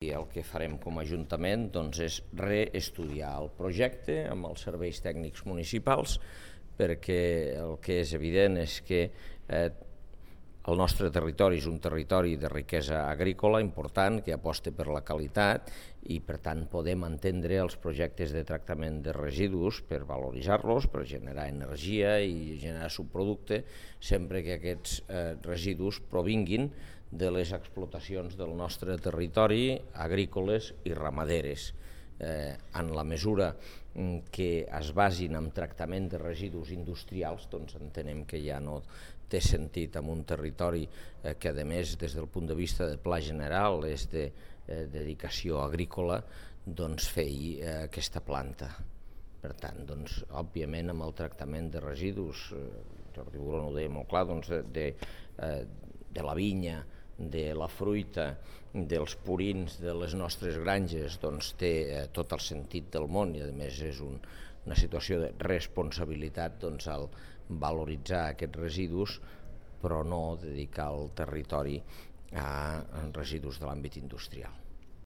I el que farem com a Ajuntament és reestudiar el projecte amb els serveis tècnics municipals, perquè el que és evident és que el nostre territori és un territori de riquesa agrícola important que aposta per la qualitat i per tant podem entendre els projectes de tractament de residus per valoritzar-los, per generar energia i generar subproducte, sempre que aquests residus provinguin de les explotacions del nostre territori agrícoles i ramaderes. En la mesura que es basin en tractament de residus industrials, entenem que ja no té sentit en un territori que, a més, des del punt de vista de pla general és de dedicació agrícola, fer-hi aquesta planta. Per tant, òbviament, amb el tractament de residus, Jordi Buron ho deia molt clar, de la vinya, de la fruita, dels purins de les nostres granges, té tot el sentit del món i a més és una situació de responsabilitat al valoritzar aquests residus, però no dedicar el territori a residus de l'àmbit industrial.